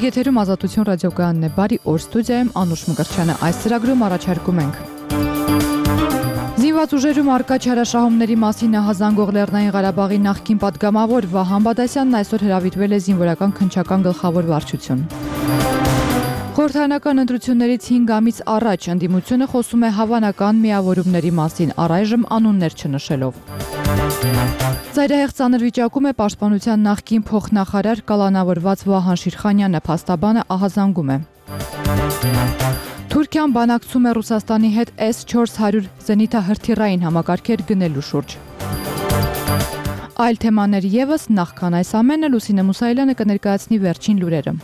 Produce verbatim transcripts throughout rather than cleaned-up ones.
Եթերում Ազատություն ռադիոկայանն է, բարի օր, ստուդիայում Անուշ Մկրտչյանը, այս ծրագրում առաջարկում ենք Զինված ուժերում առկա չարաշահումների մասին ահազանգող Լեռնային Ղարաբաղի նախկին պատգամավոր Վահան Բադասյանն այսօր հրավիրվել է զինվորական քննչական գլխավոր վարչություն։ Խորհրդարանական ընտրություններից հինգ ամիս առաջ ընդդիմությունը խոսում է հավանական միավորումների մասին, առայժմ անուններ չնշելով։ Ծայրահեղ ծանր վիճակում է պաշտպանության նախկին փոխնախարար կալանավորված Վահան Շիրխանյանը, փաստաբանը ահազանգում է։ Թուրքիան բանակցում է Ռուսաստանի հետ էս չորս հարյուր զենիթահրթիռային համակարգեր գնելու շուրջ։ Այլ թեմաներ ևս, նախքան այս ամենը Լուսինե Մուսայելյանը կներկայացնի վերջին լուրերը։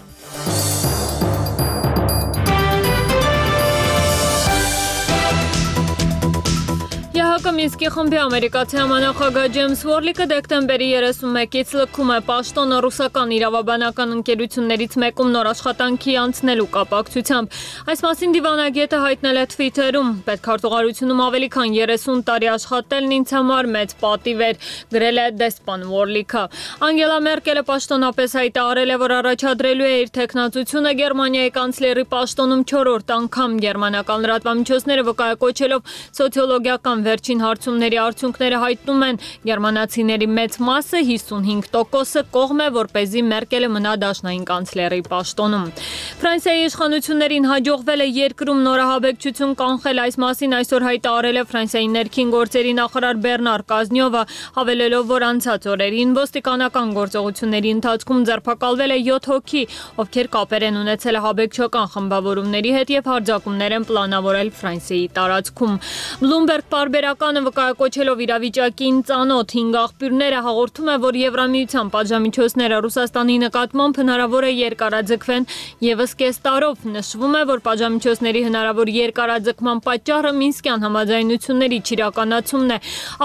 Մինսկի խմբի ամերիկացի համանախագահ Ջեյմս Ուորլիկը դեկտեմբերի երեսունմեկից լքում է պաշտոնը ռուսական իրավաբանական ընկերություններից մեկում նոր աշխատանքի անցնելու կապակցությամբ։ Այս մասին դիվանագետը հայտնել է Twitter-ում. պետքարտուղարությունում ավելի քան երեսուն տարի աշխատելն ինձ համար մեծ պատիվ էր, գրել է դեսպան Ուորլիկը։ Անգելա Մերկելը պաշտոնապես հայտարարել է, որ առաջադրելու է իր թեկնածությունը Գերմանիայի կանցլերի պաշտոնում չորրորդ անգամ, գերմանական լրատվամիջոցները վկայակոչելով սոցիոլոգիական վերջին հարցումների արդյունքները հայտնում են, գերմանացիների մեծ մասը հիսունհինգ տոկոսը կողմ է, որպեսզի Մերկելը մնա դաշնային կանցլերի պաշտոնում։ Ֆրանսիայի իշխանություններին հաջողվել է երկրում նորահաբեկչություն կանխել, այս մասին այսօր հայտարարել է Ֆրանսիայի ներքին գործերի նախարար Բեռնար Կազնյովը, հավելելով, որ անցած օրերին ոստիկանական գործողությունների ընթացքում ձերբակալվել է յոթ հոգի, ովքեր կապեր են ունեցել հաբեկչական խմբավորումների հետ եւ հարձակումներ են պլանավորել Ֆրանսիայի տարածքում։ Bloomberg պարբերականը վկայակոչելով իրավիճակին ծանոթ հինգ աղբյուրները հաղորդում է, որ Եվրամիության պատժամիջոցները Ռուսաստանի նկատմամբ հնարավոր է երկարաձգվեն ևս կես տարով։ Նշվում է, որ պատժամիջոցների հնարավոր երկարաձգման պատճառը Մինսկյան համաձայնությունների չիրականացումն է։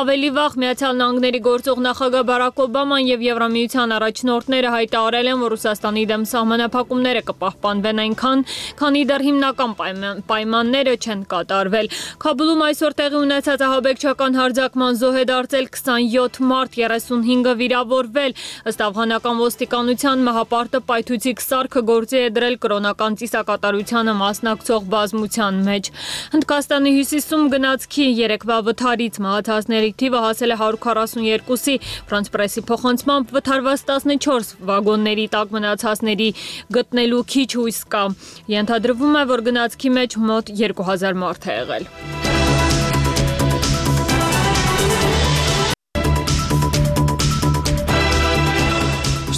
Ավելի վաղ Միացյալ Նահանգների գործող նախագահ Բարակ Օբաման եւ Եվրամիության առաջնորդները հայտարարել են, որ Ռուսաստանի դեմ սահմանափակումները կպահպանվեն այնքան, քանի դեռ հիմնական պայմանները չեն կատարվել։ Քաբուլում այսօր տեղի ունեցած ահաբեկչական հարձակման զոհ է դարձել քսանյոթ մարդ, երեսունհինգը վիրավորվել։ Ըստ աֆղանական ոստիկանության մահապարտը պայթուցիկ սարքը գործի է դրել կրոնական ծիսակատարությանը մասնակցող բազմության մեջ։ Հնդկաստանի հյուսիսում գնացքի երեկվա վթարից մահացածների թիվը հասել է հարյուր քառասունյոթի, Ֆրանս պրեսի փոխանցմամբ վթարված տասնչորս վագոնների տակ մնացածների գտնելու քիչ հույս կա։ Ենթադրվում է, որ գնացքի մեջ մոտ երկու հազար մարդ է եղել։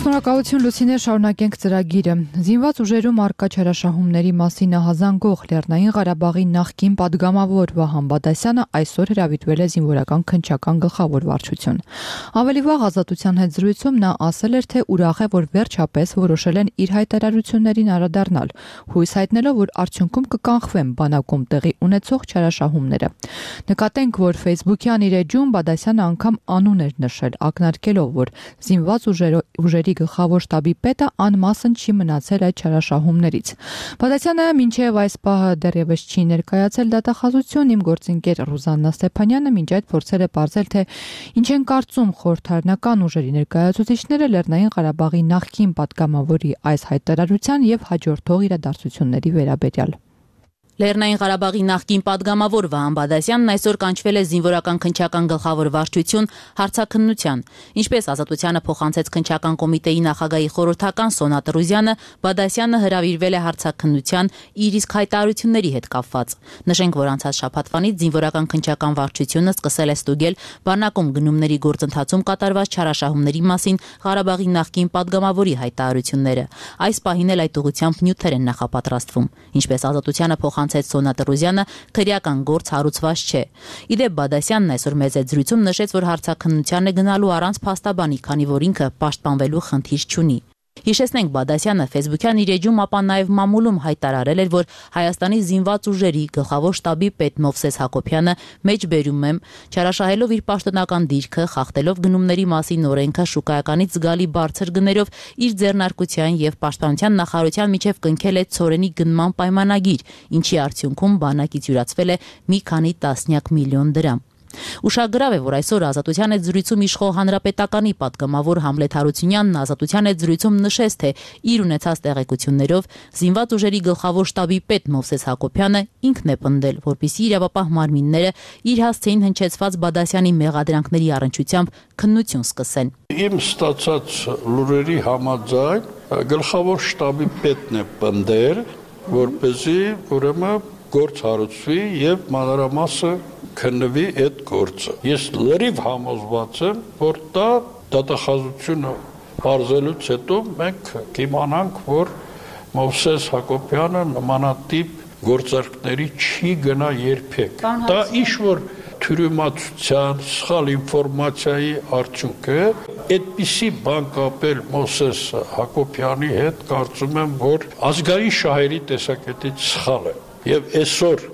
Շնորհակալություն Լուսինե, շարունակենք ծրագիրը։ Զինված ուժերում առկա չարաշահումների մասին ահազանգող Լեռնային Ղարաբաղի նախկին պատգամավոր Վահան Բադասյանը այսօր հրավիրվել է զինվորական քննչական գլխավոր վարչություն։ Ավելի վաղ Ազատության հետ զրույցում նա ասել էր, թե ուրախ է, որ վերջապես որոշել են իր հայտարարություններին անդրադառնալ, հույս հայտնելով, որ արդյունքում կկանխվեն բանակում տեղի ունեցող չարաշահումները։ Նկատենք, որ Facebook-յան իր էջում Բադասյանը անգամ անուն էր նշել, ակնարկելով, որ զինված ուժերի գլխավոր շտաբի պետը անմասն չի մնացել այդ չարաշահումներից։ Բադասյանը մինչև այս պահը դեռևս չի ներկայացել դատախազություն, իմ գործընկեր Ռուզաննա Ստեփանյանը մինչ այդ փորձել է պարզել, թե ինչ են կարծում խորհրդարանական ուժերի ներկայացուցիչները Լեռնային Ղարաբաղի նախկին պատգամավորի այս հայտարարության եւ հաջորդող իրադարձությունների վերաբերյալ։ Լեռնային Ղարաբաղի նախկին պատգամավոր Վահան Բադասյանն այսօր կանչվել է զինվորական քննչական գլխավոր վարչություն հարցաքննության։ Ինչպես Ազատությանը փոխանցեց քննչական կոմիտեի նախագահի խորհրդական Սոնա Տրուզյանը, Բադասյանը հրավիրվել է հարցաքննության իր իսկ հայտարարությունների հետ կապված։ Նշենք, որ անցած շաբաթվանից զինվորական քննչական վարչությունը սկսել է ստուգել բանակում գնումների գործընթացում կատարված չարաշահումների մասին Ղարաբաղի նախկին պատգամավորի հայտարարությունները։ Այս պահին էլ այդ ուղղությամբ նյութեր են նախապատրաստվում։ Ինչպես Ազատությանը փոխանցեց Սոնա Տրուզյանը, քրեական գործ հարուցված չէ։ Իդեպ Բադասյանն այսօր մեծ զրույցում նշեց, որ հարցաքննության է գնալու առանց փաստաբանի, քանի որ ինքը պաշտպանվելու խնդիր չունի։ Հիշեցնենք, Բադասյանը Facebook-յան իր էջում, ապա նաև մամուլում հայտարարել էր, որ Հայաստանի զինված ուժերի գլխավոր շտաբի պետ Մովսես Հակոբյանը մեջբերում է, չարաշահելով իր պաշտոնական դիրքը, խախտելով գնումների մասին օրենքը, շուկայականից զգալի բարձր գներով իր ձեռնարկության եւ պաշտպանության նախարարության միջև կնքել է ցորենի գնման պայմանագիր, ինչի արդյունքում բանակից յուրացվել է մի քանի տասնյակ միլիոն դրամ։ Ուշագրավ է, որ այսօր Ազատության հետ զրույցում իշխող հանրապետականի պատգամավոր Համլետ Հարությունյանն Ազատության հետ զրույցում նշեց, թե իր ունեցած տեղեկություններով զինված ուժերի գլխավոր շտաբի պետ Մովսես Հակոբյանը ինքն է պնդել, որպեսզի իրավապահ մարմինները իր հասցեին հնչեցված Բադասյանի մեղադրանքների առնչությամբ քննություն սկսեն։ Իմ ստացած լուրերի համաձայն գլխավոր շտաբի պետն է պնդել, որպեսզի ուրեմն գործ հարուցվի եւ մանրամասը քննվի այդ գործը։ Ես լրիվ համոզված եմ, որ դա դատախազությունը բարձելուց հետո մենք կիմանանք, որ Մովսես Հակոբյանը նմանատիպ գործարքների չի գնա երբեք։ Դա ինչ-որ թյուրիմացության, սխալ ինֆորմացիայի արդյունք է։ Այդպիսի բան կապել Մովսես Հակոբյանի հետ, կարծում եմ, որ ազգային շահերի տեսակետից սխալ է։ Եվ այսօր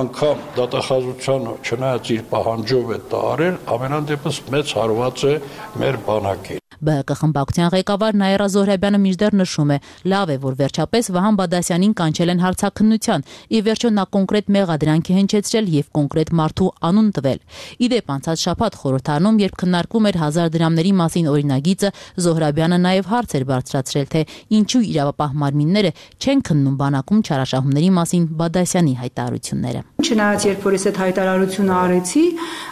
անգամ դատախազությանը չնայած իր պահանջով է դա արել, ամենանդեպս մեծ հարված է մեր բանակին։ Բ Հ Կ խմբակցության ղեկավար Նաիրա Զոհրաբյանը մինչդեռ նշում է, լավ է, որ վերջապես Վահան Բադասյանին կանչել են հարցաքննության, ի վերջո նա կոնկրետ մեղադրանք է հնչեցրել եւ կոնկրետ մարդու անուն տվել։ Իդեպ անցած շաբաթ խորհրդարանում, երբ քննարկվում էր հազար դրամների մասին օրինագիծը, Զոհրաբյանը նաեւ հարց էր բարձրացրել, թե ինչու իրավապահ մարմինները չեն քննում բանակում չարաշահումների մասին Բադասյանի հայտարարությունները։ Չնայած երբ որ ես այդ հայտարարությունը արեցի,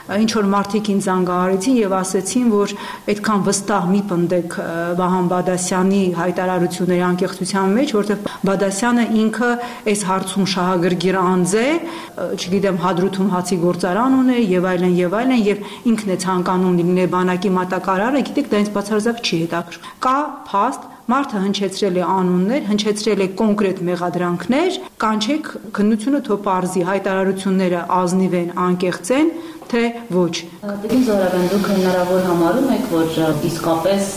ինչ որ մարդիկ ինձ զանգահարեցին եւ ասեցին, որ այդքան վստահ մի պնդեք Վահան Բադասյանի հայտարարությունների անկեղծության մեջ, որտեղ Բադասյանը ինքը այս հարցում շահագրգիռ անձ է, չգիտեմ, Հադրութում հացի գործարան ունի եւ այլն եւ այլն, եւ ինքն է ցանկանում լինել բանակի մատակարարը, գիտեք, դա ինձ բացարձակ չի հետաքրքրում։ Կա փաստ, մարդը հնչեցրել է անուններ, հնչեցրել է կոնկրետ մեղադրանքներ, կանչեք քննությունը թող պարզի, հայտարարությունները ազնիվ են, անկեղծ են, թե ոչ։ Տիկին Զոհրաբյան, դուք հնարավոր համարում եք, որ իսկապես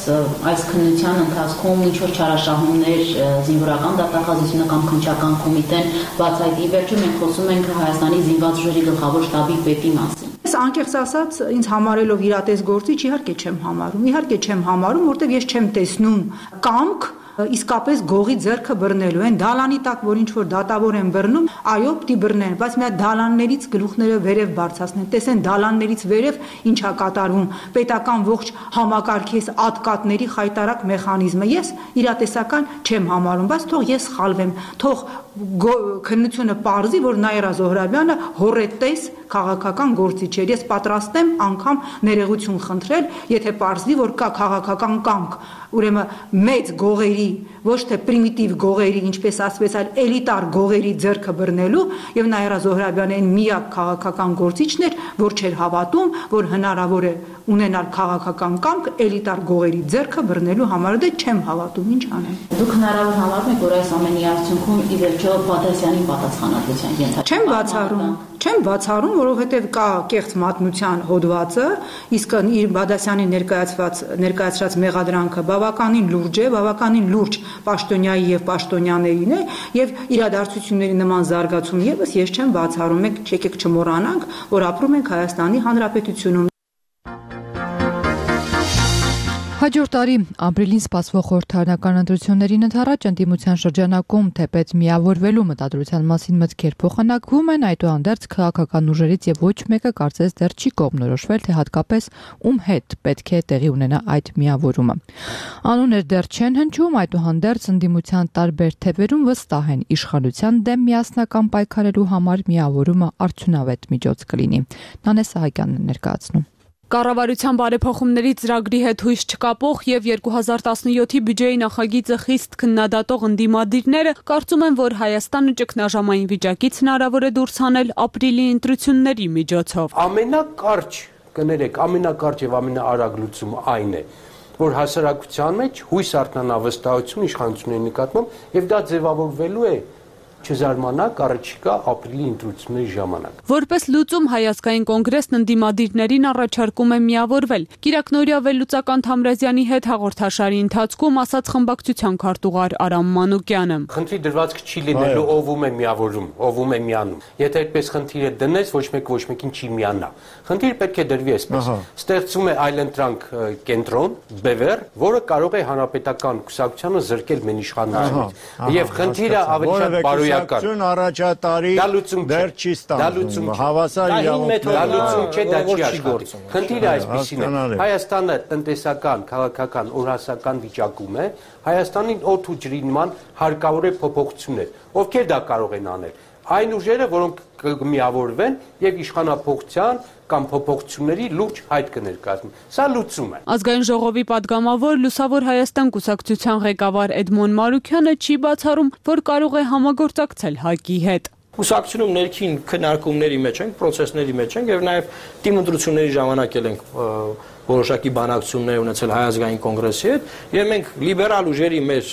այս քննության ընթացքում ինչ-որ չարաշահումներ զինվորական դատախազությունը կամ քննչական կոմիտեն բացահայտի, վերջում մենք խոսում ենք Հայաստանի զինված ուժերի գլխավոր շտաբի պետի մասին։ Ես անկեղծ ասած, ինձ համարելով իրատես գործիչ, իհարկե չեմ համարում, իհարկե չեմ համարում, որտեղ ես չեմ տեսնում կամք իսկապես գողի ձեռքը բռնելու են դալանի տակ, որ ինչ որ դատավոր են բռնում, այո, պիտի բռնեն, բայց մի հատ դալաններից գլուխները վերև բարձրացնեն, տեսեն դալաններից վերև ինչա կատարվում, պետական ողջ համակարգի ատկատների խայտարակ մեխանիզմը։ Ես իրատեսական չեմ համարում, բայց թող ես սխալվեմ, թող քննությունը պարզի, որ Նաիրա Զոհրաբյանը հոռետես քաղաքական գործիչ էր։ Ես պատրաստ եմ անգամ ներողություն խնդրել, եթե պարզվի, որ կա քաղաքական կամք, ուրեմն մեծ գողերի, ոչ թե պրիմիտիվ գողերի, ինչպես ասվեց, այլ էլիտար գողերի ձեռքը բռնելու, եւ Նաիրա Զոհրաբյանը այն միակ քաղաքական գործիչն էր, որ չէր հավատում, որ հնարավոր է ունենալ քաղաքական կամք էլիտար գողերի ձեռքը բռնելու համար, դե չեմ հավատում, ինչ անեմ։ Դուք հնարավոր համարում եք, որ այս ամենի արդյունքում ի վերջո Բադասյանի պատասխանատվության ենթարկվի։ Չեմ բացառում, չեմ բացառում, որովհետև կա կեղծ մատնության հոդվածը, իսկ իր Բադասյանի ներկայացված ներկայացրած մեղադրանքը բավականին լուրջ է, բավականին լուրջ պաշտոնյայի եւ պաշտոնյաներին է, եւ իրադարձությունների նման զարգացում եւս ես չեմ բացառում, եք եկեք չմոռանանք, որ ապրում ենք Հայաստանի Հանրապետությունում։ Հաջորդ տարի ապրիլին սպասվող խորհրդարանական ընտրություններին ընդառաջ ընդդիմության շրջանակում թեպետ միավորվելու մտադրության մասին մտքեր փոխանակվում են, այդուհանդերձ քաղաքական ուժերից եւ ոչ մեկը կարծես դեռ չի կողմնորոշվել, թե հատկապես ում հետ պետք է տեղի ունենա այդ միավորումը։ Անուններ դեռ չեն հնչում, այդուհանդերձ ընդդիմության տարբեր թևերում վստահ են իշխանության դեմ միասնական պայքարելու համար միավորումը արդյունավետ միջոց կլինի։ Նանե Սահակյանն է ներկայացնում։ Կառավարության բարեփոխումների ծրագրի հետ հույս չկապող եւ երկու հազար տասնյոթի բյուջեի նախագիծը խիստ քննադատող ընդդիմադիրները կարծում են, որ Հայաստանը ճգնաժամային վիճակից հնարավոր է դուրս հանել ապրիլի ընտրությունների միջոցով։ Ամենակարճ, կներեք, ամենակարճ եւ ամենաարագ լուծումը այն է, որ հասարակության մեջ հույս արտնանա վստահություն իշխանությունների նկատմամբ եւ դա ձևավորվելու է չզարմանաք առաջիկա ապրիլի ընտրությունների ժամանակ։ Որպես լուծում Հայ-ազգային կոնգրեսն ընդդիմադիրներին առաջարկում է միավորվել։ Կիրակնօրյա վերլուծական Թամրազյանի հետ հաղորդաշարի ընթացքում ասաց խմբակցության քարտուղար Արամ Մանուկյանը։ Խնդրի դրվածք չի լինելու ով ում է միավորում, ով ում է միանում։ Եթե այդպես խնդիրը դնես, ոչ մեկ ոչ մեկին չի միանա։ Խնդիրը պետք է դրվի այսպես։ Ստեղծում է այլընտրանք կենտրոն, բևեռ, որը կարող է հանրապետական կուսակցությանը զրկել մեն իշխանությունից։ Եվ խնդիրը ավելի շատ բարոյական քրեական առաջատարի դեռ չի ստանում հավասար իրավունքներ չէ դա չի աշխատի խնդիրը այսպեսին է Հայաստանը տնտեսական քաղաքական օրհասական վիճակում է Հայաստանին օդ ու ջրի նման հարկավոր է փոփոխություններ ովքեր դա կարող են անել այն ուժերը որոնք կմիավորվեն եւ իշխանափոխության կամ փոփոխությունների լուրջ հայտ կներկայացնեն սա լուծում է Ազգային ժողովի падգամավոր Լուսավոր Հայաստան կուսակցության ղեկավար Էդմոն Մարուքյանը չի բացառում որ կարող է համագործակցել ՀԱԿ-ի հետ Կուսակցությունում ներքին քննարկումների մեջ ենք, պրոցեսների մեջ ենք եւ նաեւ թիմ ընտրությունների ժամանակ էլ ենք որոշակի բանակցություններ ունեցել Հայ ազգային կոնգրեսի հետ եւ մենք լիբերալ ուժերի մեր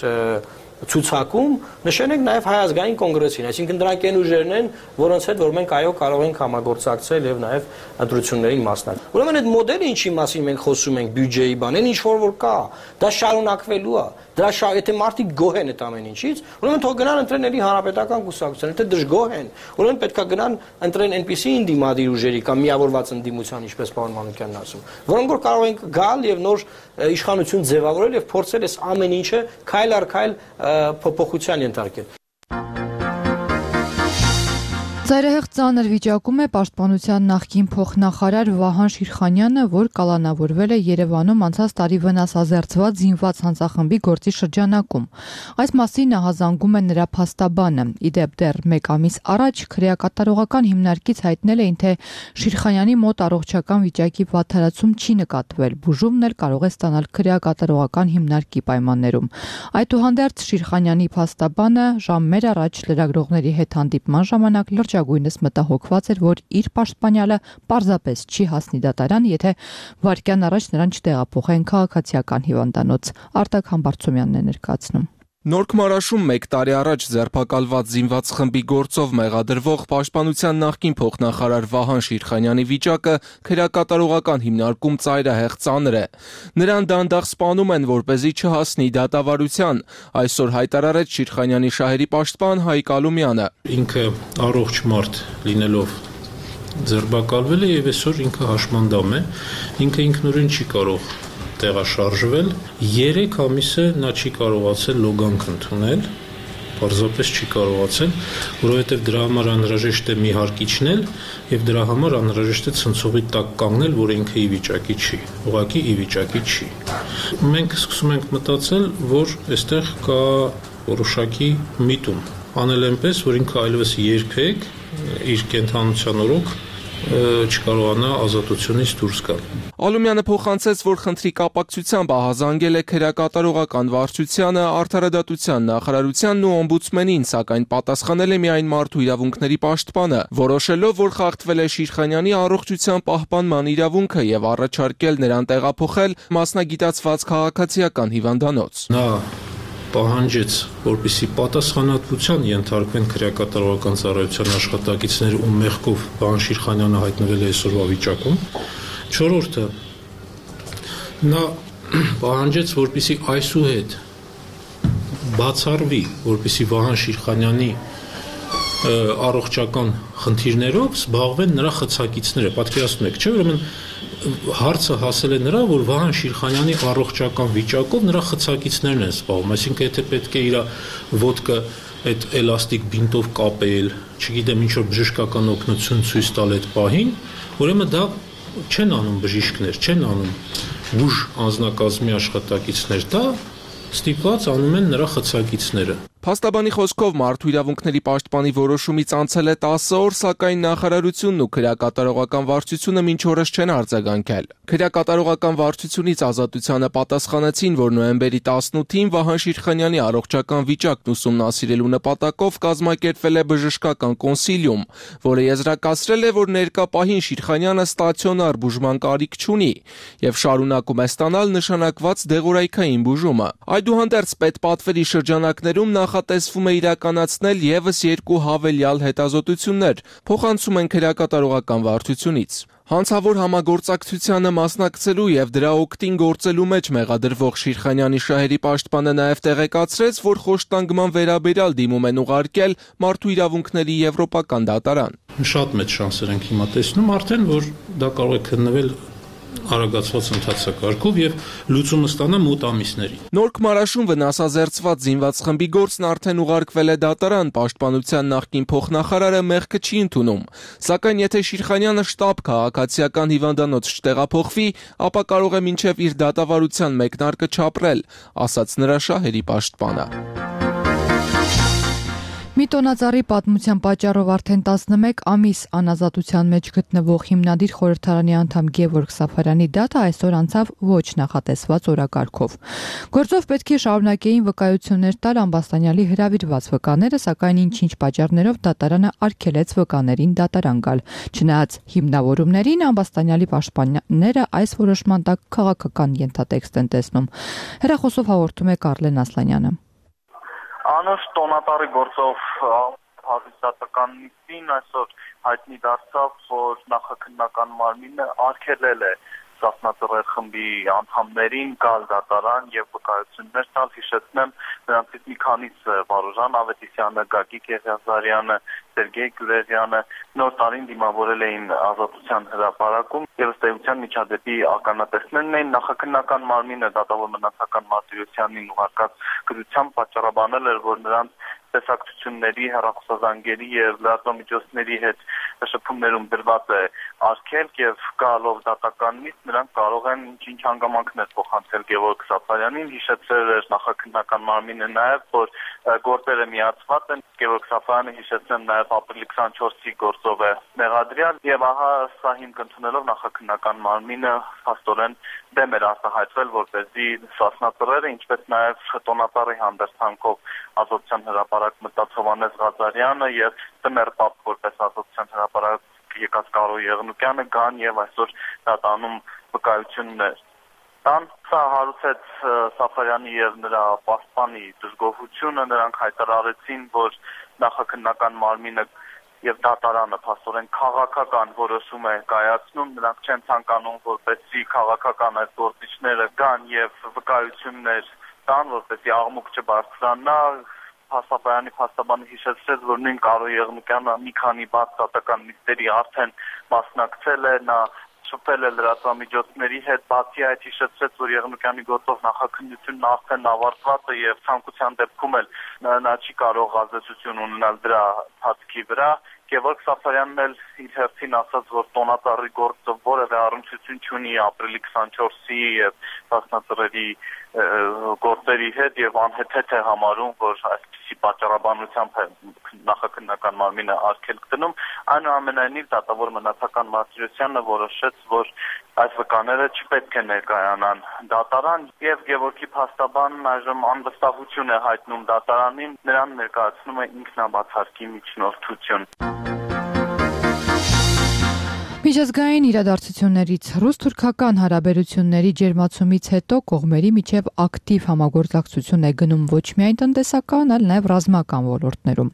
ցուցակում նշենք նաև Հայ ազգային կոնգրեսին, այսինքն դրանք այն ուժերն են, որոնց հետ որ մենք այո կարող ենք համագործակցել եւ նաև ընտրություններին մասնակցել։ Ուրեմն այդ մոդելը ինչի մասին մենք խոսում ենք բյուջեի բան, այն ինչ որ որ կա, դա շարունակվելու է։ Դրա շա եթե մարդիկ գոհ են այդ ամեն ինչից, ուրեմն թող գնան ընտրեն էլի հանրապետական կուսակցություն, եթե դժգոհ են, ուրեմն պետքա գնան ընտրեն այնպիսի ինդիմադիր ուժերի կամ միավորված ընդդիմության, ինչպես պարոն Մանուկյանն ասում, որոնք որ կարող են գալ եւ նոր իշխանություն ձևավորել եւ փորձել այս ամեն ինչը քայլ առ քայլ փոփոխության ենթարկել։ Ծայրահեղ ծանր վիճակում է պաշտպանության նախկին փոխնախարար Վահան Շիրխանյանը, որ կալանավորվել է Երևանում անցած տարի վնասազերծված զինված հանցախմբի գործի շրջանակում։ Այս մասին ահազանգում է նրա փաստաբանը։ Իդեպ դեռ մեկ ամիս առաջ քրեակատարողական հիմնարկից հայտնել էին, թե Շիրխանյանի մոտ առողջական վիճակի վատթարացում չի նկատվել։ Բուժումն էլ կարող է ստանալ քրեակատարողական հիմնարկի պայմաններում։ Այդուհանդերձ Շիրխանյանի փաստաբանը ժամեր առաջ լրագրողների հետ հանդիպման ժամանակ լրջագույնս մտահոգված էր, որ իր պաշտպանյալը պարզապես չի հասնի դատարան, եթե վայրկյան առաջ նրան չտեղափոխեն քաղաքացիական հիվանդանոց։ Արտակ Համբարձումյանն է ներկայացնում։ Նորք Մարաշում մեկ տարի առաջ ձերբակալված զինված խմբի գործով մեղադրվող պաշտպանության նախկին փոխնախարար Վահան Շիրխանյանի վիճակը քրեակատարողական հիմնարկում ծայրահեղ ծանր է։ Նրան դանդաղ սպանում են, որպեսզի չհասնի դատավարության։ Այսօր հայտարարեց Շիրխանյանի շահերի պաշտպան Հայկ Ալումյանը։ Ինքը առողջ մարդ լինելով ձերբակալվել է եւ այսօր ինքը հաշմանդամ է։ Ինքը ինքնուրույն չի կարող տեղաշարժվել երեք ամիս է նա չի կարողացել լոգանք ընդունել պարզապես չի կարողացել որովհետև դրա համար անհրաժեշտ է մի հարկ իջնել եւ դրա համար անհրաժեշտ է ցնցողի տակ կանգնել որ ինքը ի վիճակի չի ուղղակի ի վիճակի չի մենք սկսում ենք մտածել որ այստեղ կա որոշակի միտում անել այնպես որ ինքը այլևս երբեք իր կենթանության օրոք չկարողանա ազատությունից դուրս գալ։ Ալումյանը փոխանցեց, որ խնդրի կապակցությամբ ահազանգել է քրեակատարողական վարչությանը, արդարադատության նախարարությանն ու օմբուդսմենին, սակայն պատասխանել է միայն մարդու իրավունքների պաշտպանը, որոշելով, որ խախտվել է Շիրխանյանի առողջության պահպանման իրավունքը եւ առաջարկել նրան տեղափոխել մասնագիտացված քաղաքացիական հիվանդանոց։ Նա պահանջեց, որպեսզի պատասխանատվության ենթարկվեն քրեակատարողական ծառայության աշխատակիցներ ու մեղքով Վահան Շիրխանյանը հայտնվել է այսօրվա վիճակում։ Չորրորդը նա պահանջեց, որպեսզի այսուհետ բացառվի, որպեսզի Վահան Շիրխանյանի առողջական խնդիրներով զբաղվեն նրա խցակիցները։ Պատկերացնում եք, չէ՞, ուրեմն հարցը հասել է նրա, որ Վահան Շիրխանյանի առողջական վիճակով նրա խցակիցներն են զբաղվում, այսինքն եթե պետք է իր ոտքը այդ էլաստիկ բինտով կապել, չգիտեմ ինչ որ բժշկական օգնություն ցույց տալ այդ պահին, ուրեմն դա չեն անում բժիշկներ, չեն անում ուժ անձնակազմի աշխատակիցներ, դա ստիպված անում են նրա խցակիցները։ Փաստաբանի խոսքով մարդու իրավունքների պաշտպանի որոշումից անցել է տասը օր, սակայն նախարարությունն ու քրեակատարողական վարչությունը մինչ օրս չեն արձագանքել։ Քրեակատարողական վարչությունից ազատությանը պատասխանեցին, որ նոյեմբերի տասնութին Վահան Շիրխանյանի առողջական վիճակն ուսումնասիրելու նպատակով կազմակերպվել է բժշկական կոնսիլիում, որը եզրակացրել է, որ ներկա պահին Շիրխանյանը ստացիոնար բուժման կարիք չունի եւ շարունակում է ստանալ նշանակված դեղորայքային բուժումը։ Այդուհանդերձ պետպատվերի շրջանակներում նախատեսվում է իրականացնել եւս երկու հավելյալ հետազոտություններ, փոխանցում են քրեակատարողական վարչությունից։ Հանցավոր համագործակցությանը մասնակցելու եւ դրա օգտին գործելու մեջ մեղադրվող Շիրխանյանի շահերի պաշտպանը նաեւ տեղեկացրեց, որ խոշտանգման վերաբերյալ դիմում են ուղարկել մարդու իրավունքների եվրոպական դատարան։ Շատ մեծ շանսեր ենք հիմա տեսնում արդեն, որ դա կարող է քննվել արագացված ընթացակարգով եւ լուծումը ստանա մոտ ամիսներին։ Նոր Քմարաշուն վնասազերծված զինված խմբի գործն արդեն ուղարկվել է դատարան, պաշտպանության նախկին փոխնախարարը մեղքը չի ընդունում։ Սակայն եթե Շիրխանյանը շտաբ քաղաքացիական հիվանդանոց չտեղափոխվի, ապա կարող է մինչև իր դատավարության մեկնարկը չապրել, ասաց նրա շահերի պաշտպանը։ Մի տոնածառի պատմության պատճառով արդեն տասնմեկ ամիս անազատության մեջ գտնվող հիմնադիր խորհրդարանի անդամ Գևորգ Սաֆարյանի դատը այսօր անցավ ոչ նախատեսված օրակարգով։ Գործով պետք է շարունակեին վկայություններ տալ Ամբաստանյալի հրավիրված վկաները, սակայն ինչ-ինչ պատճառներով դատարանը արգելեց վկաներին դատարան գալ։ Չնայած հիմնավորումներին, Ամբաստանյալի պաշտպանները այս որոշման տակ քաղաքական ենթատեքստ են տեսնում։ Հեռախոսով հաղորդում է Կարլեն Ասլանյանը։ Անուշ տոնատարի գործով հավիսատական նիստին այսօր հայտնի դարձավ, որ նախաքննական մարմինը արգելել է Սասնածռեր խմբի անդամներին գալ դատարան եւ վկայություններ տալ, հիշեցնեմ, նրանցից մի քանիսը Վարուժան Ավետիսյանը, Գագիկ Եղիազարյանը, Սերգեյ Գյուրեղյանը նոր տարին դիմավորել էին ազատության հրապարակում եւ ըստ էության միջադեպի ականատեսներն էին։ Նախաքննական մարմինը դատավոր մնացական Մարտիրոսյանին ուղարկած գրությամբ պատճառաբանել էր, որ նրանց տեսակցությունների, հեռախոսազանգերի եւ լրատվամիջոցների հետ շփումներում դրված է արգելք եւ գալով դատական նիստ նրանք կարող են ինչ-ինչ հանգամանքներ փոխանցել Գևորգ Սաֆարյանին։ Հիշեցրել էր նախաքննական մարմինը նաեւ, որ գործերը միացված են։ Գևորգ Սաֆարյանը հիշեցնեմ նաեւ ապրիլի քսանչորսի գործով է մեղադրյալ եւ ահա սա հիմք ընդունելով նախաքննական մարմինը փաստորեն դեմ էր արտահայտվել, որպեսզի Սասնածռերը, ինչպես նաեւ տոնատարի հանդերձանքով ազատության հրապարակ մտած Հովհաննես Ղազարյանը եւ Տմեր Պապ որպես ազատության հրապարակ եկած Կարո Եղնուկյանը գան եւ այսօր դատանում վկայություններ տան։ Սա հարուցեց Սաֆարյանի եւ նրա պաշտպանի դժգոհությունը, նրանք հայտարարեցին, որ նախաքննական մարմինը եւ դատարանը փաստորեն քաղաքական որոշում է կայացնում, նրանք չեն ցանկանում, որպեսզի քաղաքական այս գործիչները գան եւ վկայություններ տան, որպեսզի աղմուկ չբարձրանա։ Սաֆարյանի փաստաբանը հիշեցրեց, որ նույն Կարո Եղնուկյանը մի քանի բաց դատական նիստերի արդեն մասնակցել է, նա շփվել է լրատվամիջոցների հետ, բացի այդ հիշեցրեց, որ Եղնուկյանի գործով նախաքննությունն արդեն ավարտված է եւ ցանկության դեպքում էլ նա չի կարող ազդեցություն ունենալ դրա հատքի վրա։ Գևորգ Սաֆարյանն էլ իր հերթին ասաց, որ տոնածառի գործը որևէ առնչություն չունի ապրիլի քսանչորսի եւ Սասնածռերի գործերի հետ եւ անհեթեթ է համարում, որ այսպիսի պատճառաբանությամբ է նախաքննական մարմինը արգելք դնում։ Այնուամենայնիվ դատավոր մնացական Մարտիրոսյանը որոշեց, որ այս վկաները չպետք է ներկայանան դատարան եւ Գևորգի փաստաբանն այժմ անվստահություն է հայտնում դատարանին, նրան ներկայացնում է ինքնաբացարկի միջնորդություն։ Միջազգային իրադարձություններից ռուս-թուրքական հարաբերությունների ջերմացումից հետո կողմերի միջև ակտիվ համագործակցություն է գնում ոչ միայն տնտեսական, այլ նաև ռազմական ոլորտներում։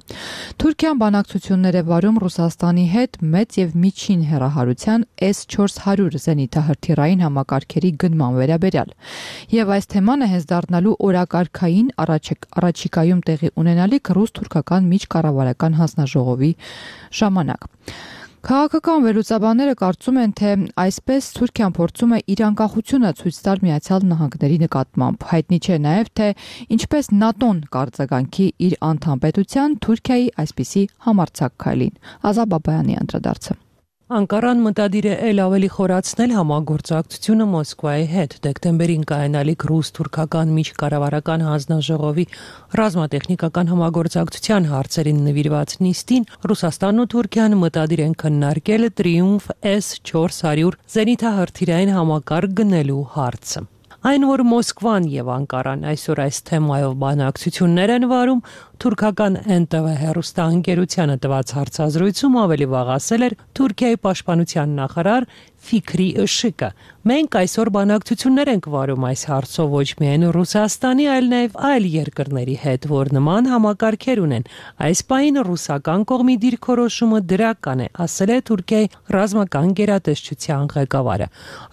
Թուրքիան բանակցություններ է վարում Ռուսաստանի հետ մեծ եւ միջին հեռահարության էս չորս հարյուր զենիթահրթիռային համակարգերի գնման վերաբերյալ։ Եվ այս թեման է հենց դառնալու օրակարգային առաջիկայում տեղի ունենալիք ռուս-թուրքական միջկառավարական հանձնաժողովի ժամանակ։ Քաղաքական վերլուծաբանները կարծում են, թե այսպես Թուրքիան փորձում է իր անկախությունը ցույց տալ Միացյալ Նահանգների նկատմամբ։ Հայտնի չէ նաև, թե ինչպես ՆԱՏՕ-ն կարձագանքի իր անդամպետության Թուրքիայի այսպիսի համարձակ քայլին։ Ազատ Բաբայանի անդրադարձը։ Անկարան մտադիր է ել ավելի խորացնել համագործակցությունը Մոսկվայի հետ։ Դեկտեմբերին կայանալիք ռուս-թուրքական միջկառավարական հանձնաժողովի ռազմատեխնիկական համագործակցության հարցերին նվիրված նիստին Ռուսաստանն ու Թուրքիան մտադիր են քննարկել Տրիումֆ էս չորս հարյուր զենիթահրթիռային համակարգ գնելու հարցը։ Այն, որ Մոսկվան եւ Անկարան այսօր այս թեմայով բանակցություններ են վարում, թուրքական Էն Տե Վե հեռուստաընկերությանը տված հարցազրույցում ավելի վաղ ասել էր Թուրքիայի պաշտպանության նախարար Ֆիքրի Ըշիկը։ Մենք այսօր բանակցություններ ենք վարում այս հարցով ոչ միայն Ռուսաստանի, այլ նաև այլ երկրների հետ, որ նման համակարգեր ունեն։ Այս պահին ռուսական կողմի դիրքորոշումը դրական է, ասել է Թուրքիայի ռազմական գերատեսչության ղեկավարը։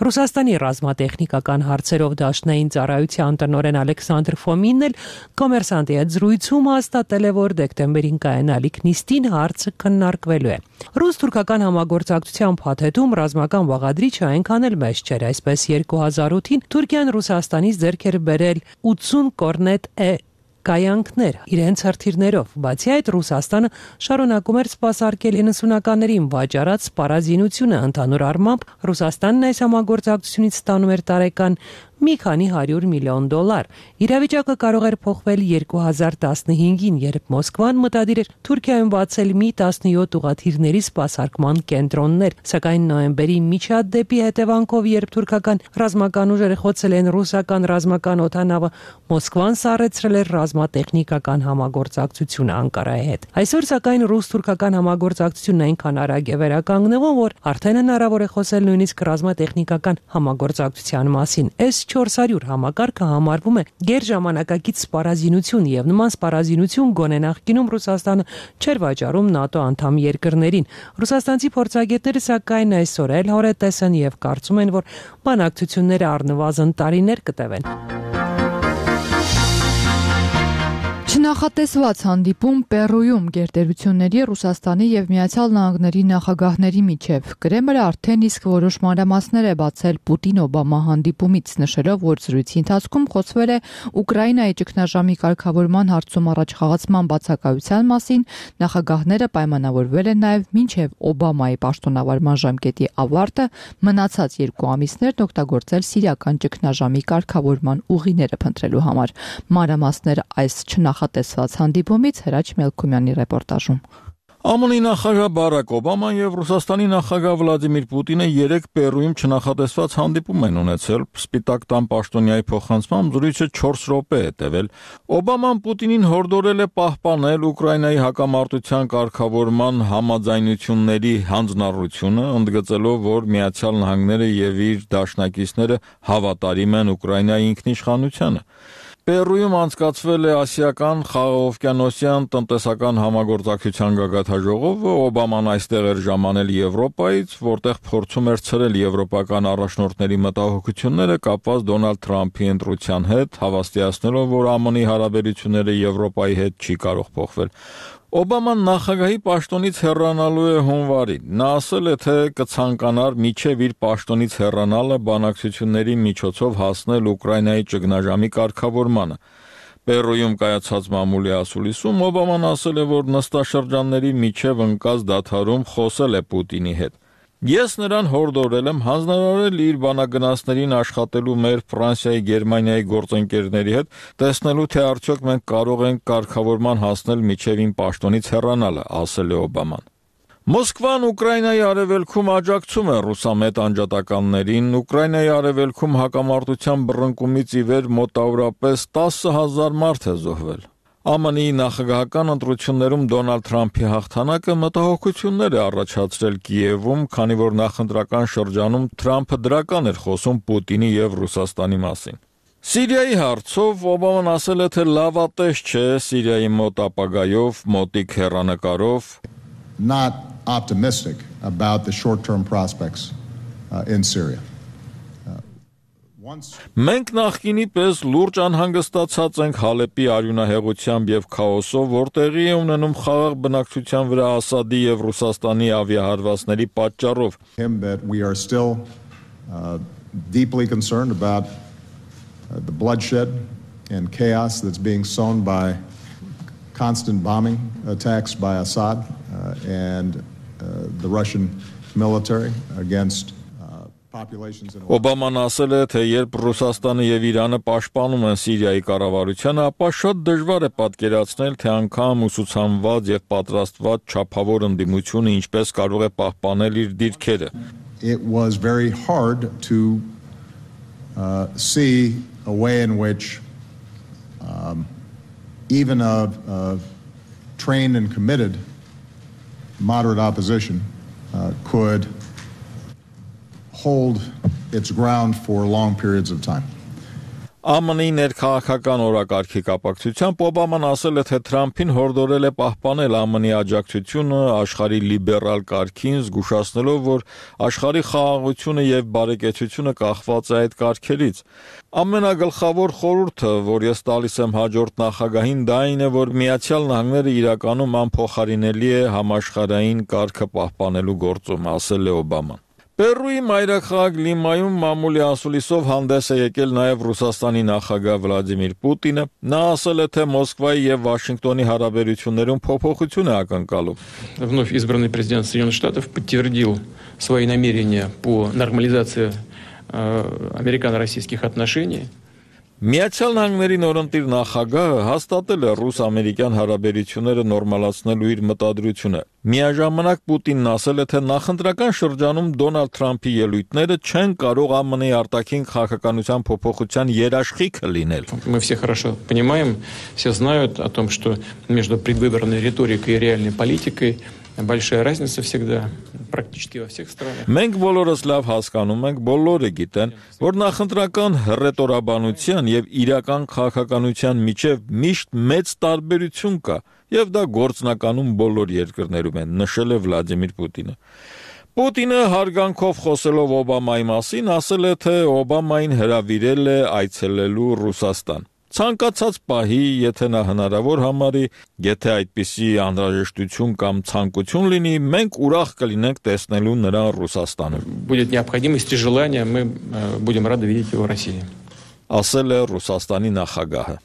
Ռուսաստանի ռազմատեխնիկական հարցերով դաշնային ծառայության տնօրեն Ալեքսանդր Ֆոմինն էլ Կոմերսանտի հետ զրույցում հաստատել է, որ դեկտեմբերին կայանալիք նիստին հարցը քննարկվելու է։ Ռուս-թուրքական համագործակցության փաթեթում ռազմական բաղադրիչը այնքան էլ մեծ չէր, այսպես երկու հազար ութին Թուրքիան Ռուսաստանից ձեռք էր բերել ութսուն կորնետ է կայանքներ իրենց հրթիռներով։ Բացի այդ, Ռուսաստանը շարունակում էր սպասարկել իննսունականներին վաճառած սպառազինությունը, ընդհանուր առմամբ Ռուսաստանն այս համագործակցությունից ստանում էր տարեկան մի քանի հարյուր միլիոն դոլար։ Իրավիճակը կարող էր փոխվել երկու հազար տասնհինգին, երբ Մոսկվան մտադիր էր Թուրքիայում բացել մի տասնյոթ ուղղաթիռների սպասարկման կենտրոններ, սակայն նոյեմբերի միջադեպի հետևանքով, երբ թուրքական ռազմական ուժերը խոցել են ռուսական ռազմական օդանավը, Մոսկվան սառեցրել էր ռազմատեխնիկական համագործակցությունը Անկարայի հետ։ Այսօր սակայն ռուս-թուրքական համագործակցությունն այնքան արագ է վերականգնվում, որ արդեն հնարավոր է խոսել նույնիսկ ռազմատեխնիկական համագործակցության մասին։ Էս չորս հարյուր համակարգը համարվում է գերժամանակակից սպառազինություն եւ նման սպառազինություն գոնե նախկինում Ռուսաստանը չէր վաճառում ՆԱՏՕ անդամ երկրներին։ Ռուսաստանցի փորձագետները սակայն այսօր էլ հորետես են եւ կարծում են, որ բանակցությունները առնվազն տարիներ կտևեն։ Չնախատեսված հանդիպում Պերույում գերտերությունների Ռուսաստանի եւ Միացյալ Նահանգների նախագահների միջև։ Կրեմլը արդեն իսկ որոշ մանրամասներ է բացել Պուտին-Օբամա հանդիպումից, նշելով, որ զրույցի ընթացքում խոսվել է Ուկրաինայի ճգնաժամի կարգավորման հարցում առաջխաղացման բացակայության մասին, նախագահները պայմանավորվել են նաեւ մինչև Օբամայի պաշտոնավարման ժամկետի ավարտը մնացած երկու ամիսներն օգտագործել սիրիական ճգնաժամի կարգավորման ուղիները փնտրելու համար։ Մանրամասները այս չնախատեսված հանդիպումից Հրաչ Մելքումյանի ռեպորտաժում։ ԱՄՆ-ի նախագահ Բարակ Օբաման եւ Ռուսաստանի նախագահ Վլադիմիր Պուտինը երեք Պերույում չնախատեսված հանդիպում են ունեցել։ Սպիտակ տան պաշտոնյայի փոխանցմամբ զրույցը չորս րոպե է տևել։ Օբաման Պուտինին հորդորել է պահպանել Ուկրաինայի հակամարտության կարգավորման համաձայնությունների հանձնառությունը, ընդգծելով, որ Միացյալ Նահանգները եւ իր դաշնակիցները հավատարիմ են Ուկրաինայի ինքնիշխանությանը։ Պերույում անցկացվել է ասիական խաղաղօվկիանոսյան տնտեսական համագործակցության գագաթաժողովը, Օբաման այստեղ էր ժամանել Եվրոպայից, որտեղ փորձում էր ցրել եվրոպական առաջնորդների մտահոգությունները կապված Դոնալդ Թրամփի ընտրության հետ, հավաստիացնելով, որ ԱՄՆ-ի հարաբերությունները Եվրոպայի հետ չի կարող փոխվել։ Օբաման նախագահի պաշտոնից հեռանալու է հունվարին։ Նա ասել է, թե կցանկանար միջև իր պաշտոնից հեռանալը բանակցությունների միջոցով հասնել Ուկրաինայի ճգնաժամի կարգավորմանը։ Պերույում կայացած մամուլի ասուլիսում Օբաման ասել է, որ նստաշրջանների միջև ընկած դադարում խոսել է Պուտինի հետ։ Ես նրան հորդորել եմ հանձնարարել իր բանագնացներին աշխատելու մեր Ֆրանսիայի, Գերմանիայի գործընկերների հետ, տեսնելու թե արդյոք մենք կարող ենք կարգավորման հասնել միջև իմ պաշտոնից հեռանալը, ասել է Օբաման։ Մոսկվան Ուկրաինայի արևելքում աջակցում է ռուսամետ անջատականներին, Ուկրաինայի արևելքում հակամարտության բռնկումից ի վեր մոտավորապես տասը հազար մարդ է զոհվել։ ԱՄՆ-ի նախագահական ընտրություններում Դոնալդ Թրամփի հաղթանակը մտահոգություններ է առաջացրել Կիևում, քանի որ նախընտրական շրջանում Թրամփը դրական էր խոսում Պուտինի եւ Ռուսաստանի մասին։ Սիրիայի հարցով Օբաման ասել է, թե լավատես չէ Սիրիայի մոտ ապագայով, մոտիկ հեռանկարով not optimistic about the short-term prospects uh, in Syria. Մենք նախկինի պես լուրջ անհանգստացած ենք Հալեպի արյունահեղությամբ եւ քաոսով, որտեղի է ունենում խաղաղ բնակչության վրա Ասադի եւ Ռուսաստանի ավիահարվածների պատճառով։ We are still uh, deeply concerned about uh, the bloodshed and chaos that's being sown by constant bombing attacks by Assad uh, and uh, the Russian military against Օբաման ասել է, թե երբ Ռուսաստանը եւ Իրանը պաշտպանում են Սիրիայի կառավարությանը, ապա շատ դժվար է պատկերացնել, թե անգամ ուսուցանված եւ պատրաստված չափավոր ընդդիմությունը ինչպես կարող է պահպանել իր դիրքերը։ It was very hard to uh, see a way in which um, even a, a trained and committed moderate opposition uh, could hold its ground for long periods of time. ԱՄՆ-ի ներքաղաքական օրակարգի կապակցությամբ Օբաման ասել է, թե Թրամփին հորդորել է պահպանել ԱՄՆ-ի աջակցությունը աշխարհի լիբերալ կարգին, զգուշացնելով, որ աշխարհի խաղաղությունը եւ բարեկեցությունը կախված է այդ կարգերից։ Ամենագլխավոր խորհուրդը, որ ես տալիս եմ հաջորդ նախագահին, դա այն է, որ Միացյալ Նահանգները իրականում անփոխարինելի է համաշխարհային կարգը պահպանելու գործում, ասել է Օբաման։ Պերուի մայրաքաղաք Լիմայում մամուլի ասուլիսով հանդես է եկել նաև Ռուսաստանի նախագահ Վլադիմիր Պուտինը։ Նա ասել է, թե Մոսկվայի եւ Վաշինգտոնի հարաբերություններում փոփոխություն է ակնկալում։ Вновь избранный президент Соединенных Штатов подтвердил свои намерения по нормализации американо-российских отношений. Միացյալ Նահանգների նորընտիր նախագահը հաստատել է ռուս-ամերիկյան հարաբերությունները նորմալացնելու իր մտադրությունը։ Միաժամանակ Պուտինն ասել է, թե նախընտրական շրջանում Դոնալդ Թրամփի ելույթները չեն կարող ԱՄՆ-ի արտաքին քաղաքականության փոփոխության երաշխիքը լինել։ Мы все хорошо понимаем, все знают о том, что между предвыборной риторикой и реальной политикой большая разница всегда, практически во всех странах. Մենք բոլորս լավ հասկանում ենք, բոլորը գիտեն, որ նախընտրական ռետորաբանության եւ իրական քաղաքականության միջև միշտ մեծ տարբերություն կա, եւ դա գործնականում բոլոր երկրներում են, նշել է Վլադիմիր Պուտինը։ Պուտինը հարգանքով խոսելով Օբամայի մասին ասել է, թե Օբամային հրավիրել է այցելելու Ռուսաստան։ Ցանկացած պահի, եթե նա հնարավոր համարի, եթե այդպիսի անհրաժեշտություն կամ ցանկություն լինի, մենք ուրախ կլինենք տեսնելու նրան Ռուսաստանում։ Будет необходимость и желание, мы будем рады видеть его в России. Ասել է Ռուսաստանի նախագահը։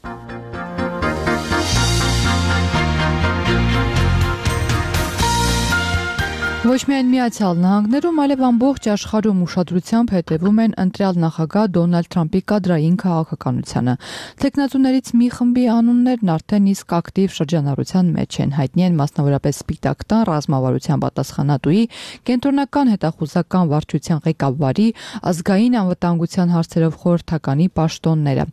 Ոչ միայն Միացյալ Նահանգներում, այլև ամբողջ աշխարհում ուշադրությամբ հետևում են ընտրյալ նախագահ Դոնալդ Թրամփի կադրային քաղաքականությանը։ Տեխնացուներից մի խմբի անուններն արդեն իսկ ակտիվ շրջանառության մեջ են, հայտնի են մասնավորապես Սպիտակ տան ռազմավարության պատասխանատուի, կենտրոնական հետախուզական վարչության ղեկավարի, ազգային անվտանգության հարցերով խորհրդականի պաշտոնները։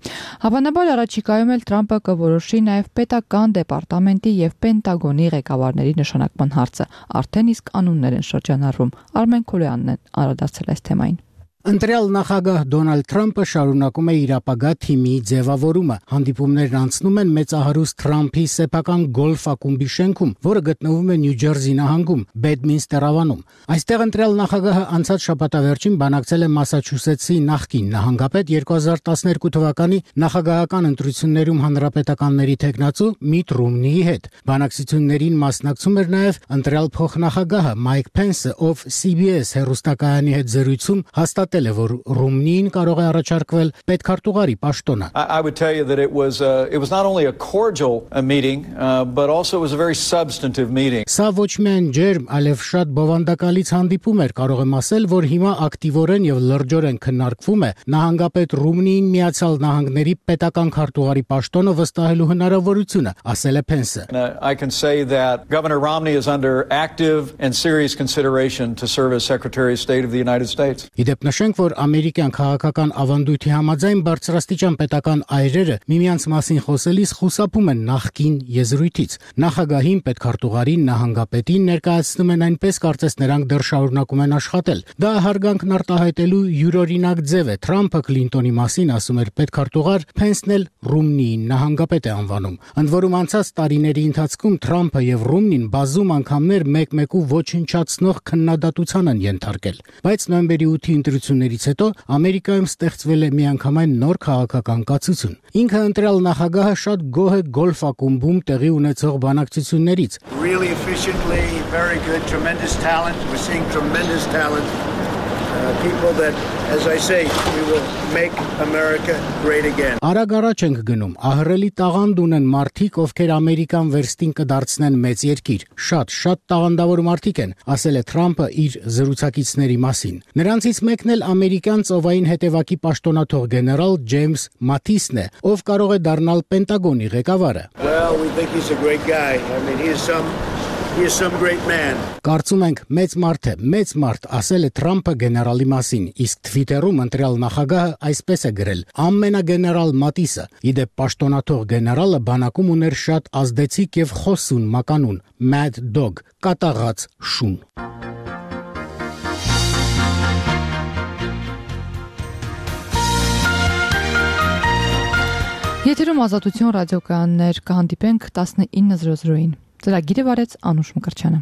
Հավանաբար առաջիկայում էլ Թրամփը կորոշի նաև պետական դեպարտամենտի եւ Պենտագոնի ղեկավարների նշանակման հարցը։ Արդեն իսկ անուն են շրջանառվում։ Արմեն Քոլյանն է անդրադարձել այս թեմային։ Ընտրյալ նախագահ Դոնալդ Թրամփը շարունակում է իր ապագա թիմի ձևավորումը։ Հանդիպումներն անցնում են մեծահարուստ Թրամփի սեփական գոլֆ ակումբի շենքում, որը գտնվում է Նյու Ջերսի նահանգում, Բեդմինստեր ավանում։ Այստեղ ընտրյալ նախագահը անցած շաբաթավերջին բանակցել է Մասաչուսեթսի նախկին նահանգապետ երկու հազար տասներկու թվականի նախագահական ընտրություններում հանրապետականների թեկնածու Միթ Ռոմնիի հետ։ Բանակցություններին մասնակցում էր նաև ընտրյալ փոխնախագահը Մայք Փենսը, ով C B S հեռուստակայանի հետ զրույցում հաստատել է, որ Ռոմնին կարող է առաջարկվել պետքարտուղարի պաշտոնը։ I would tell you that it was uh, it was not only a cordial uh, meeting, uh, but also it was a very substantive meeting. Սա ոչ միայն ջերմ, այլև շատ բովանդակալից հանդիպում էր, կարող եմ ասել, որ հիմա ակտիվորեն եւ լրջորեն քննարկվում է նահանգապետ Ռոմնիին Միացյալ Նահանգների պետական քարտուղարի պաշտոնը վստահելու հնարավորությունը, ասել է Փենսը։ I can say that Governor Romney is under active and serious consideration to serve as Secretary of State of the United States. Իդեպ նշենք, որ ամերիկյան քաղաքական ավանդույթի համաձայն բարձրաստիճան պետական այրերը միմյանց մասին խոսելիս խուսափում են նախկին եզրույթից։ Նախագահին, պետքարտուղարին, նահանգապետին ներկայացնում են այնպես, կարծես նրանք դեռ շարունակում են աշխատել։ Դա հարգանքն արտահայտելու յուրօրինակ ձև է։ Թրամփը Քլինտոնի մասին ասում էր պետքարտուղար, Փենսն էլ Ռոմնիին նահանգապետ է անվանում։ Ընդ որում անցած տարիների ընթացքում Թրամփը եւ Ռոմնին բազում անգամներ մեկ-մեկու ոչնչացնող քննադատության են ենթարկել։ Բայց նոյեմբերի ութի ընտրություններից հետո Ամերիկայում ստեղծվել է միանգամայն նոր քաղաքական կացություն։ Ինքը ընտրյալ նախագահը շատ գոհ է գոլֆ ակումբում տեղի ունեցող բանակցություններից։ Really efficiently, very good, tremendous talent. We're seeing tremendous talent. Uh, people that, as I say, we will make America great again. Արագ առաջ ենք գնում, ահռելի տաղանդ ունեն մարդիկ, ովքեր Ամերիկան վերստին կդարձնեն մեծ երկիր։ Շատ, շատ տաղանդավոր մարդիկ են, ասել է Թրամփը իր զրուցակիցների մասին։ Նրանցից մեկն էլ ամերիկյան ծովային հետևակի պաշտոնաթող գեներալ Ջեյմս Մաթիսն է, ով կարող է դառնալ Պենտագոնի ղեկավարը։ Well, we think he's a great guy. I mean, he is some He is some great man. Կարծում ենք մեծ մարդ է, մեծ մարդ, ասել է Թրամփը գեներալի մասին, իսկ Թվիտերում ընտրյալ նախագահը այսպես է գրել. ամենագեներալ Մատիսը։ Իդեպ պաշտոնաթող գեներալը բանակում ուներ շատ ազդեցիկ եւ խոսուն մականուն՝ Mad Dog, կատաղած շուն։ Եթերում Ազատություն ռադիոկայաններ, կհանդիպենք տասնինը զրո զրոյին։ Ծրագիրը վարեց Անուշ Մկրտչյանը։